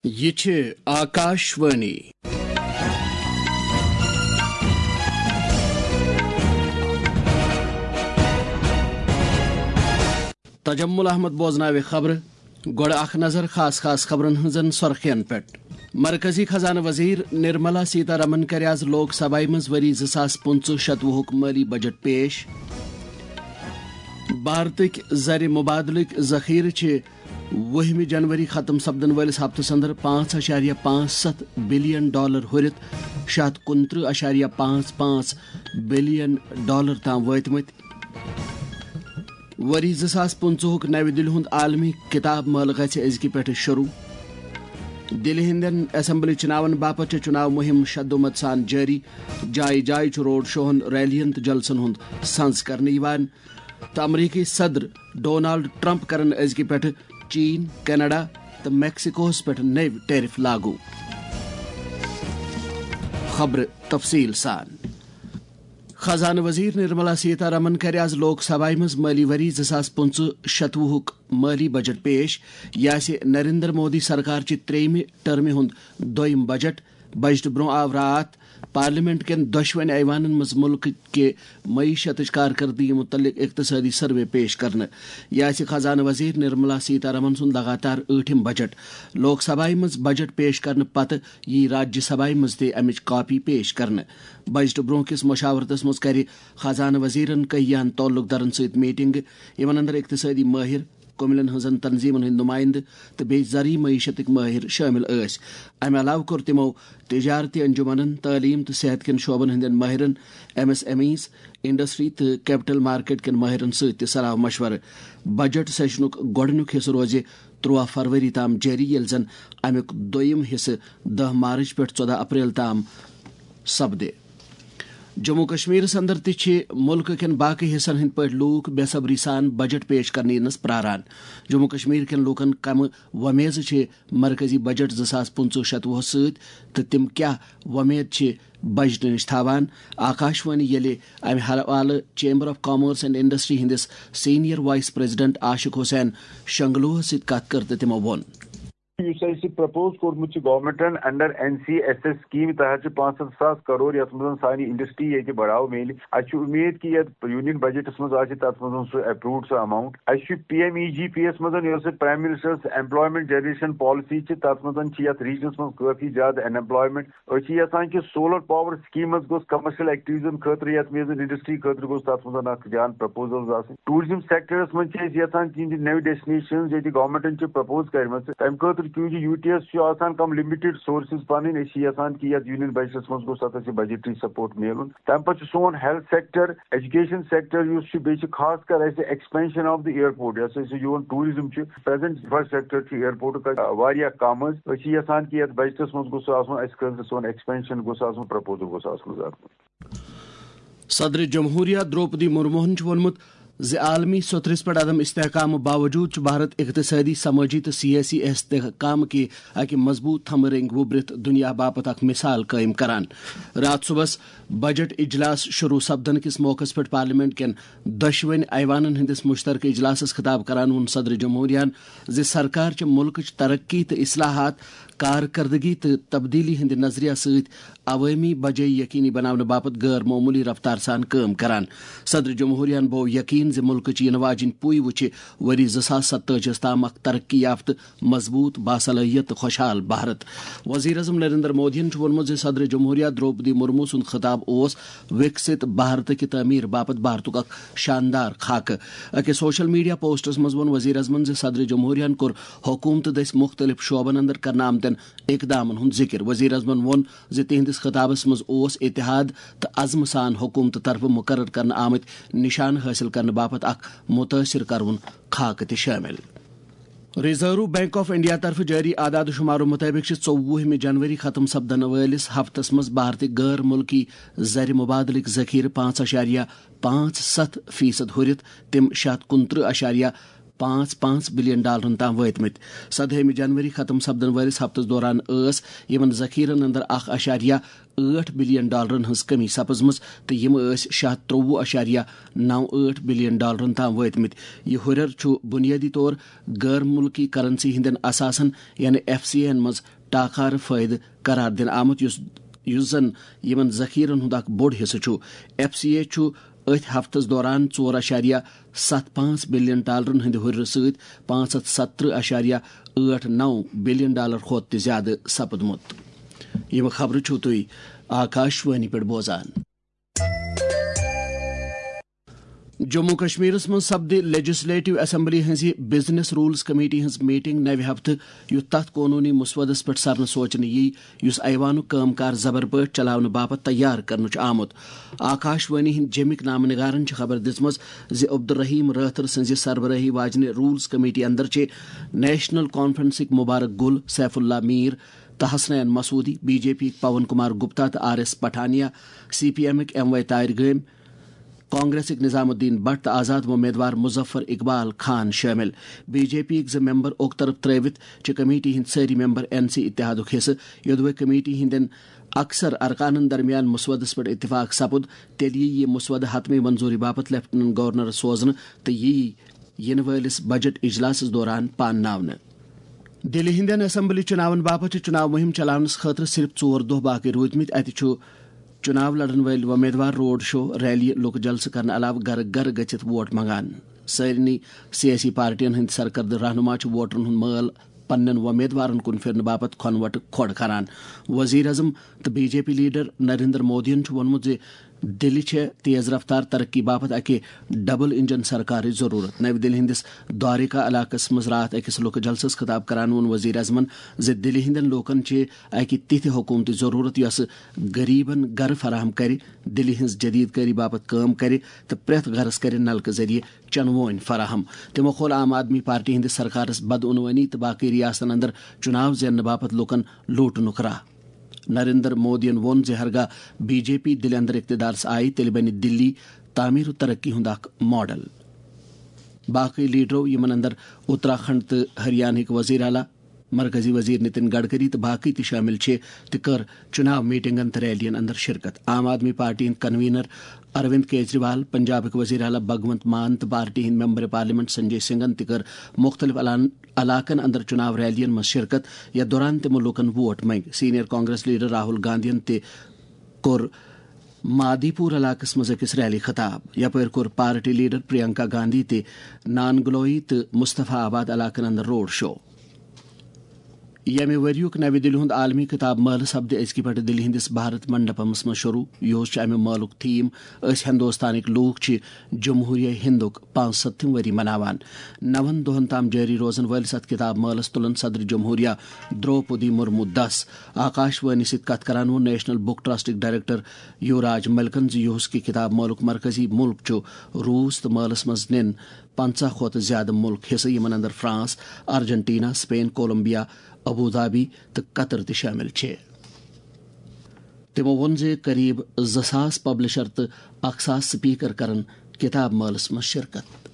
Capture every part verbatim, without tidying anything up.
یہِ چھِ آکاشوانی۔ تجمل احمد بوزناوِ خبرٕ۔ گۄڈٕ اکھ نظر خاص خاص خبرن ہٕنٛزن سۄرخین پٮ۪ٹھ۔ مرکزی خزانہٕ وزیر نرملا سیتارمن کَرِ آز لوک سبھایہِ منٛز ؤری زٕ ساس پٕنٛژٕہ شتوُہُک مٲلی بجٹ پیش۔ بھارتٕکۍ زرِ مبادلٕکۍ ذخیرٕ چھِ وُہمہِ جنوری ختم سپدن وٲلِس ہفتس اندر پانٛژھ اَشاریہ پانٛژھ ستھ بلین ڈالر ہُرِتھ شےٚ ہتھ کُنترٕہ اَشاریہ پانٛژھ پانٛژھ بلین ڈالر تام وٲتمٕتۍ۔ ؤری زٕ ساس پٕنٛژٕہُک نَوِ دِلہِ ہُنٛد عالمی کتاب مٲلہٕ گژھِ أزکہِ پٮ۪ٹھٕ شروع۔ دِلہِ ہٕنٛدٮ۪ن اسمبلی چُناون باپتھ چھےٚ چُناو مُہِم شدومت سان جٲری۔ جایہِ جایہِ چھُ روڈ شوہن، ریلین تہٕ جلسن ہُنٛد سنز کرنہٕ یِوان۔ تہٕ امریکی صدر ڈونالڈ ٹرمپ کرن أزکہِ پٮ۪ٹھٕ چین، کینیڈا تہٕ میکسیکوہس پٮ۪ٹھ نٔوۍ ٹیرف لاگو۔ خبرٕ تفصیل سان۔ خزانہٕ وزیر نرملا سیتارمن کَرِ آز لوک سبھایہِ منٛز مٲلی ؤری زٕ ساس پٕنٛژٕہ شتوُہُک مٲلی بجٹ پیش۔ یہِ آسہِ نریندر مودی سرکار چہِ ترٛیٚیِمہِ ٹرمہِ ہُنٛد دوٚیِم بجٹ۔ بجٹہٕ برٛونٛہہ آو راتھ پارلیمنٹ کٮ۪ن دۄشوٕنۍ ایوانن منٛز مُلکہٕ کہِ معیشتٕچ کارکردگی مُتعلق اقتصٲدی سروے پیش کرنہٕ۔ یہِ آسہِ خزانہٕ وزیر نرملا سیتارمن سُنٛد لگاتار ٲٹھِم بجٹ۔ لوک سبھایہِ منٛز بجٹ پیش کرنہٕ پتہٕ یی راجیہ سبھایہِ منٛز تہِ امِچ کاپی پیش کرنہٕ۔ بجٹہٕ برٛونٛہہ کِس مشاورتس منٛز کرِ خزانہٕ وزیرن کٔہیاہن تعلق دارن سۭتۍ میٹنگ، یِمن اندر اقتصٲدی مٲہر، کٔمِلین ہٕنٛزن تنظیمن ہٕنٛدۍ نُمٲیندٕ تہٕ بیٚیہِ زرعی معیشتٕکۍ مٲہر شٲمِل ٲسۍ۔ امہِ علاوٕ کوٚر تِمو تجارتی انجمنن، تعلیٖم تہٕ صحت کٮ۪ن شعبن ہٕنٛدٮ۪ن مٲہرن، M S M Es, industry تہٕ کیپٹل مارکیٹ کٮ۪ن مٲہرن سۭتۍ تہِ صلاح مشورٕ۔ بجٹ سیشنُک گۄڈٕنیُک حصہٕ روزِ ترٛوہ فروری تام جٲری، ییٚلہِ زن امیُک دوٚیِم حصہٕ دَہ مارچ پٮ۪ٹھ ژۄدہ اپریل تام سپدِ۔ جموں کشمیرس اندر تہِ چھِ ملکہٕ کٮ۪ن باقٕے حصن ہٕنٛدۍ پٲٹھۍ لوٗکھ بے صبری سان بجٹ پیش کرنہٕ یِنس پراران۔ جموں کشمیر کٮ۪ن لوٗکن کمہٕ وۄمیزٕ چھِ مرکزی بجٹ زٕ ساس پٕنٛژٕہ شتوُہس سۭتۍ تہٕ تِم کیٛاہ وۄمید چھِ بجٹہٕ نِش تھاوان؟ آکاشوانی ییٚلہِ امہِ حوالہٕ چیمبر آف کامٲرس اینڈ انڈسٹری ہٕنٛدِس سینئر وائس پریزیڈنٹ عاشق حسین شنگلوہس سۭتۍ کتھ کٔر تہٕ تِمو ووٚن۔ یُس اَسہِ پرپوز کوٚرمُت چھُ گورنمنٹن under N C S S scheme تحت چھِ پانٛژھ ہتھ ساس کرور، یَتھ منٛز سانہِ انڈسٹری ییٚتہِ بڑاو میلہِ۔ اَسہِ چھُ اُمید کہِ یَتھ یونین بجٹس منٛز آسہِ تَتھ منٛز سُہ اپرووڈ سُہ اماؤنٹ۔ اَسہِ چھُ پی ایم ای جی پی یَس منٛز، یۄس prime ministers employment generation policy چھِ، تَتھ منٛز چھِ یَتھ ریجنس منٛز کٲفی زیادٕ ان ایمپلایمنٹ۔ أسۍ چھِ یژھان کہِ سولر پاور سکیٖمس گوٚژھ کمرشل ایکٹیویٹیزن خٲطرٕ، یتھ منٛز انڈسٹری خٲطرٕ گوٚژھ تتھ منٛز اکھ جان پرپوزلز آسٕنۍ۔ ٹورزم سیکٹرس منٛز چھِ أسۍ یژھان کہِ یِم نٔوۍ ڈیسٹنیشنز ییٚتہِ گورنمنٹن چھِ پرپوز کرِمژٕ، تمہِ خٲطرٕ کیونکہ یوٗ ٹی ایس چھُ آسان کم لِمِٹڈ سورسز پنٕنۍ، أسۍ چھِ یژھان کہِ یتھ یونین بجٹس منٛز گوٚژھ تتھ اَسہِ بجٹری سپورٹ میلُن۔ تمہِ پتہٕ چھُ سون ہیلتھ سیکٹر، ایجوکیشن سیکٹر یُس چھُ، بیٚیہِ چھُ خاص کر اَسہِ ایکسپینشن آف دی ایئرپورٹ، یۄس اَسہِ یِوان ٹورزم چھُ، پریزنٹ انفراسٹرکچر چھُ ایئرپورٹُک واریاہ کم حظ۔ أسۍ چھِ یژھان کہِ یتھ بجٹس منٛز گوٚژھ سُہ آسُن، اَسہِ خٲطرٕ سون ایکسپینشن گوٚژھ آسُن، پرپوزل گوٚژھ آسُن حظ اتھ منٛز۔ صدر جمہوریہ درٛوپدی مُرموہن چھُ ووٚنمُت زِ عالمی سطحس پٮ۪ٹھ عدم استحکامہٕ باوجود چھُ بھارت اقتصٲدی، سمٲجی تہٕ سیٲسی استحکام کہِ اکہِ مضبوٗط تھمہٕ رٔنٛگۍ وُبرِتھ دُنیا باپتھ اکھ مثال قٲیِم کران۔ راتھ صُبحس بجٹ اجلاس شروع سپدن کِس موقعس پٮ۪ٹھ پارلیمنٹ کٮ۪ن دۄشوٕنۍ ایوانن ہٕنٛدِس مشترکہٕ اجلاسس خطاب کران ووٚن صدر جمہوریہن زِ سرکار چھِ مُلکٕچ ترقی تہٕ اصلاحات، کارکردگی تہٕ تبدیلی ہٕنٛدِ نظریہ سۭتۍ عوٲمی بجٲیی یقینی بناونہٕ باپتھ غٲر معموٗلی رفتار سان کٲم کران۔ صدر جمہوریہن بوو یقین زِ مُلکٕچ یِنہٕ واجیٚنۍ پُے وُچھِ ؤری زٕ ساس ستٲجی ہَس تام اکھ ترقی یافتہٕ، مضبوٗط، باصلٲحیت تہٕ خۄشحال بھارت۔ وزیر اعظم نریندر مودیَن چھُ ووٚنمُت زِ صدر جمہوریہ درٛوپدی مرمو سُنٛد خطاب اوس وِکسِت بھارت کہِ تعمیٖر باپتھ بھارتُک اکھ شاندار خاکہٕ۔ أکِس سوشل میڈیا پوسٹس منٛز ووٚن وزیر اعظمن زِ صدر جمہوریہن کوٚر حکوٗمتہٕ دٔسۍ مُختٔلِف شعبن اندر کرنہٕ آمتٮ۪ن اقدامن ہُنٛد ذِکر۔ وزیر اعظمن ووٚن زِ تِہنٛدِس خطابس منٛز اوس اتحاد تہٕ عزمہٕ سان حکوٗمتہٕ طرفہٕ مُقرر کرنہٕ آمٕتۍ نشانہٕ حٲصِل کرنہٕ باپتھ اکھ مُتٲثِر کروُن خاکہٕ تہِ شٲمِل۔ ریزرو بینک آف انڈیا طرفہٕ جٲری اعداد و شمارو مُطٲبِق چھِ ژوٚوُہمہِ جنوری ختم سپدن وٲلِس ہفتس منٛز بھارتٕکۍ غٲر مُلکی زرِ مبادلٕکۍ ذخیرٕ پانٛژھ اَشاریہ پانٛژھ ستھ فیصد ہُرِتھ تِم شےٚ ہتھ کُنترٕہ اَشاریہ پانٛژھ پانٛژھ بلین ڈالرن تام وٲتمٕتۍ۔ سدہٲیمہِ جنوری ختم سپدن وٲلِس ہفتس دوران ٲس یِمن ذخیرن اندر اکھ اشاریہ ٲٹھ بلین ڈالرن ہٕنٛز کمی سپٕزمٕژ تہٕ یِم ٲسۍ شےٚ ہتھ ترٛوٚوُہ اشاریہ نو ٲٹھ بلین ڈالرن تام وٲتمٕتۍ۔ یہِ ہُرٮ۪ر چھُ بُنیٲدی طور غٲر مُلکی کرنسی ہٕنٛدٮ۪ن اثاثن، یعنی ایف سی اے ہن منٛز ٹاکارٕ فٲیدٕ قرار دِنہٕ آمُت، یُس یُس زن یِمن ذخیرن ہُنٛد اکھ بوٚڑ حصہٕ چھُ۔ ایف سی اے چھُ أتھۍ ہفتس دوران ژور اشاریہ ستھ پانٛژھ بلین ڈالرن ہٕنٛدِ ہُرٮ۪ر سۭتۍ پانٛژھ ہتھ ستترٕہ اشاریہ ٲٹھ نو بلین ڈالر کھۄتہٕ تہِ زیادٕ سپُدمُت۔ یِم خبرٕ چھِو تُہۍ آکاش وانی پٮ۪ٹھ بوزان۔ جموں کشمیرس منٛز سپدِ لیجسلیٹو اسمبلی ہٕنٛزِ بزنس رولز کمیٹی ہٕنٛز میٹنگ نوِ ہفتہٕ، یُتھ تتھ قونوٗنی مسودس پٮ۪ٹھ سرنہٕ سوچنہٕ یی، یُس ایوانُک کٲم کار زبر پٲٹھۍ چلاونہٕ باپتھ تیار کرنہٕ چھُ آمُت۔ آکاش وانی ہٕنٛدۍ جیمِکۍ نامہٕ نگارن چھِ خبر دِژمٕژ زِ عبدالرحیم رٲتھر سٕنٛزِ سربرٲہی واجنہِ رولز کمیٹی اندر چھِ نیشنل کانفرنسٕکۍ مبارک گل سیف اللہ میر تہٕ Hasnain Masoodi, B J P یٕکۍ پون کمار گپتا تہٕ R S Pathania, C P M یٕکۍ ایم واے طاہر گٲمۍ، کانگریسٕکۍ نظام الدین بٹ تہٕ آزاد وۄمیدوار مظفر اقبال خان شٲمِل۔ بی جے پی یٕکۍ زٕ ممبر اوٚک طرف ترٲوِتھ چھِ کمیٹی ہٕنٛدۍ سٲری ممبر این سی اتحادُک حصہٕ۔ یوٚدوے کمیٹی ہٕنٛدٮ۪ن اکثر ارکانن درمیان مسودس پٮ۪ٹھ اتفاق سپُد، تیٚلہِ ییہِ یہِ مسودٕ حتمی منظوری باپتھ لیفٹیننٹ گورنرس سوزنہٕ تہٕ ییہِ یِنہٕ وٲلِس بجٹ اجلاسس دوران پانناونہٕ۔ دِلہِ ہٕنٛدٮ۪ن اسمبلی چُناون باپتھ چھِ چُناو مُہِم چلاونس خٲطرٕ صرف ژور دۄہ باقٕے روٗدمٕتۍ۔ اتہِ چھُ چُناو لڑن وٲلۍ وۄمیدوار روڈ شو، ریلی، لُکہٕ جلسہٕ کرنہٕ علاوٕ گرٕ گرٕ گٔژھِتھ ووٹ منٛگان۔ سارنٕے سیٲسی پارٹین ہٕنٛدۍ سرکردٕ رہنما چھِ ووٹرن ہُنٛد مٲل پننٮ۪ن وۄمیدوارن کُن پھِرنہٕ باپتھ کھۄنہٕ وۄٹہٕ کھۄڑ کران۔ وزیر اعظم تہٕ B J P leader Narendra مودیَن چھُ ووٚنمُت زِ دِلہِ چھےٚ تیز رفتار ترقی باپتھ اکہِ ڈبل انجن سرکارٕچ ضروٗرت۔ نَوِ دِلہِ ہٕنٛدِس دوارِکا علاقس منٛز راتھ أکِس لُکہٕ جلسس خطاب کران ووٚن وزیر اعظمن زِ دِلہِ ہٕنٛدٮ۪ن لوٗکن چھِ اکہِ تِتھِ حکوٗمتٕچ ضروٗرت یۄسہٕ غریبن گرٕ فراہم کرِ، دِلہِ ہٕنٛز جدید کٲری باپتھ کٲم کرِ تہٕ پرٛٮ۪تھ گرس کرِ نلکہٕ ذٔریعہٕ چنہٕ وونۍ فراہم۔ تِمو کھول عام آدمی پارٹی ہٕنٛدِس سرکارس بدعنوٲنی تہٕ باقٕے ریاستن اندر چُناو زیننہٕ باپتھ لوٗکن لوٗٹنُک راہ۔ نریندر مودیَن ووٚن زِ ہرگاہ بی جے پی دِلہِ اندر اقتدارس آیہِ، تیٚلہِ بنہِ دِلی تعمیٖر و ترقی ہُنٛد اکھ ماڈل۔ باقٕے لیڈرو، یِمن اندر اتراکھنڈ تہٕ ہریانہٕکۍ وزیر اعلیٰ، مرکزی وزیر نتن گڈکری تہٕ باقٕے تہِ شٲمِل چھِ، تہِ کٔر چُناو میٹنگن تہٕ ریلین اندر شرکت۔ عام آدمی پارٹی ہٕنٛدۍ کنوینر اروند کیجریوال، پنجابٕکۍ وزیر اعلیٰ بھگونت مان تہٕ پارٹی ہٕنٛدۍ ممبر پارلیمنٹ سنجے سنگھن تہِ کٔر مُختٔلِف علان-، علاقن اندر چُناو ریلین منٛز شرکت، یتھ دوران تِمو لوٗکن ووٹ منٛگۍ۔ سینئر کانگریس لیڈر راہل گاندھین تہِ کوٚر مادی پور علاقس منٛز أکِس ریلی خطاب۔ یپٲرۍ کوٚر پارٹی لیڈر پرینکا گاندھی تہِ نانگلوئی تہٕ مصطفی آباد علاقن اندر روڈ شو۔ ییٚمہِ ؤریُک نَوِ دِلہِ ہُنٛد عالمی کِتاب مٲلہٕ سپدِ أزکہِ پٮ۪ٹھٕ دِلہِ ہٕنٛدِس بھارت منڈپمس منٛز شروع۔ یِہُس چھُ اَمہِ مٲلُک تھیم، أسۍ ہندوستانٕکۍ لوٗکھ چھِ جمہوریہ ہندُک پانٛژھ ستتھِم ؤری مناوان۔ نَوَن دۄہَن تام جٲری روزَن وٲلِس اَتھ کِتاب مٲلَس تُلَن صدر جمہوریہ دروپدی مرمو دَس۔ آکاش وانی سۭتۍ کَتھ کران ووٚن نیشنل بک ٹرسٹٕکۍ ڈائریکٹر یوراج ملکَن زِ یِہُس کہِ کِتاب مٲلُک مرکزی مُلک چھُ روٗس تہٕ مٲلَس منٛز نِن پنٛژاہ کھۄتہٕ زیادٕ مُلک حصہٕ، یِمَن اندر فرانس، ارجنٹینا، سپین، کولمبیا، ابوظہبی تہٕ قطر تہِ شٲمِل چھِ۔ تِمو ووٚن زِ قریب زٕ ساس پبلشر تہٕ اکھ ساس سپیکر کرن کتاب مٲلَس منٛز شرکت۔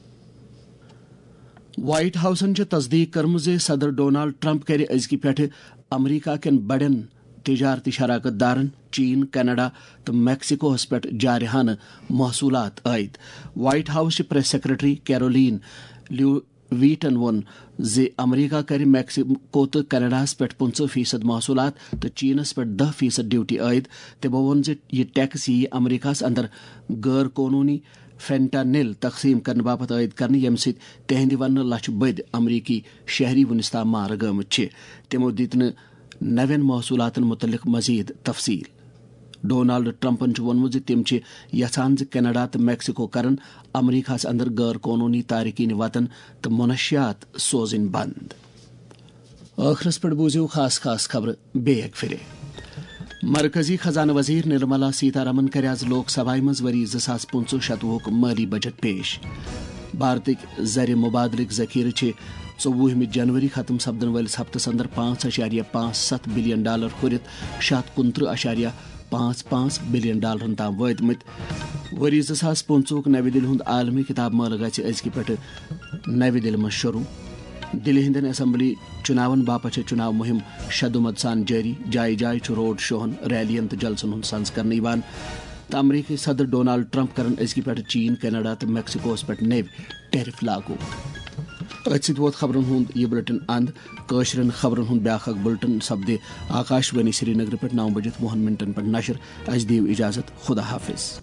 وائٹ ہاؤسَن چھِ تصدیق کٔرمٕژ زِ صدر ڈونالڈ ٹرمپ کَرِ أزکہِ پٮ۪ٹھٕ امریکہ کٮ۪ن بڑٮ۪ن تجارتی شراکت دارن، چین، کینیڈا تہٕ میکسیکوہَس پٮ۪ٹھ جارحانہٕ محصولات عائد۔ وائٹ ہاؤس چہِ پریس سیکرٹری کیرولین لیو ویٹن ووٚن زِ امریکہ کرِ میکسیکو تہٕ کینیڈاہَس پٮ۪ٹھ پٕنٛژٕہ فیصد محصولات تہٕ چینَس پٮ۪ٹھ دَہ فیصد ڈیوٹی عائد۔ تِمَو ووٚن زِ یہِ ٹیکس یِیہِ امریکہَس اندر غٲر قونوٗنی فینٹانل تقسیٖم کرنہٕ باپتھ عائد کرنہٕ، ییٚمہِ سۭتۍ تِہنٛدِ وننہٕ لَچھِ بٔدۍ امریکی شہری وُنِس تام مارٕ گٲمٕتۍ چھِ۔ تِمَو دِتۍ نہٕ نوٮ۪ن محصولاتَن مُتعلِق مزید تفصیل۔ ڈونالڈ ٹرمپَن چھُ ووٚنمُت زِ تِم چھِ یژھان زِ کینیڈا تہٕ میکسیکو کرن امریکہَس اندر غٲر قونوٗنی تارکین وطن تہٕ منشیات سوزٕنۍ بند۔ ٲخرس پٮ۪ٹھ بوٗزِو خاص خاص خبرٕ بیٚیہِ اَکہِ پھِرِ۔ مرکزی خزانہٕ وزیر نرملا سیتارمن کَرِ آز لوک سبھایہِ منٛز ؤری زٕ ساس پٕنٛژٕہ شتوُہُک مٲلی بجٹ پیش۔ بھارتٕکۍ زرِ مبادلٕکۍ ذخیرٕ چھِ ژوٚوُہمہِ جنوری ختم سپدن وٲلِس ہفتس اندر پانٛژھ اَشاریہ پانٛژھ ستھ بلین ڈالر ہُرِتھ شےٚ ہتھ کُنترٕہ اَشاریہ پانٛژھ پانٛژھ بلین ڈالرن تام وٲتمٕتۍ۔ ؤری زٕ ساس پٕنٛژٕہُک نَوِ دِلہِ ہُنٛد عالمی کِتاب مٲلہٕ گژھِ أزکہِ پٮ۪ٹھٕ نَوِ دِلہِ منٛز شروٗع۔ دِلہِ ہٕنٛدٮ۪ن اسمبلی چُناون باپتھ چھےٚ چُناو مُہِم شےٚ دُمت سان جٲری۔ جایہِ جایہِ چھُ روڈ شوہن، ریلین تہٕ جلسن ہُنٛد سنز کرنہٕ یِوان۔ تہٕ امریکی صدر ڈونالڈ ٹرمپ کرن أزکہِ پٮ۪ٹھٕ چین، کینیڈا تہٕ میکسیکوہس پٮ۪ٹھ نٔوۍ ٹیرف لاگو۔ أتھۍ سۭتۍ ووت خبرن ہُنٛد یہِ بُلٹن اند۔ کٲشرٮ۪ن خبرن ہُنٛد بیٛاکھ اکھ بُلٹن سپدِ آکاش وانی سرینگرٕ پٮ۪ٹھ نَو بجِتھ وُہن منٹن پٮ۪ٹھ نشر۔ اسہِ دِیِو اجازت، خدا حافظ۔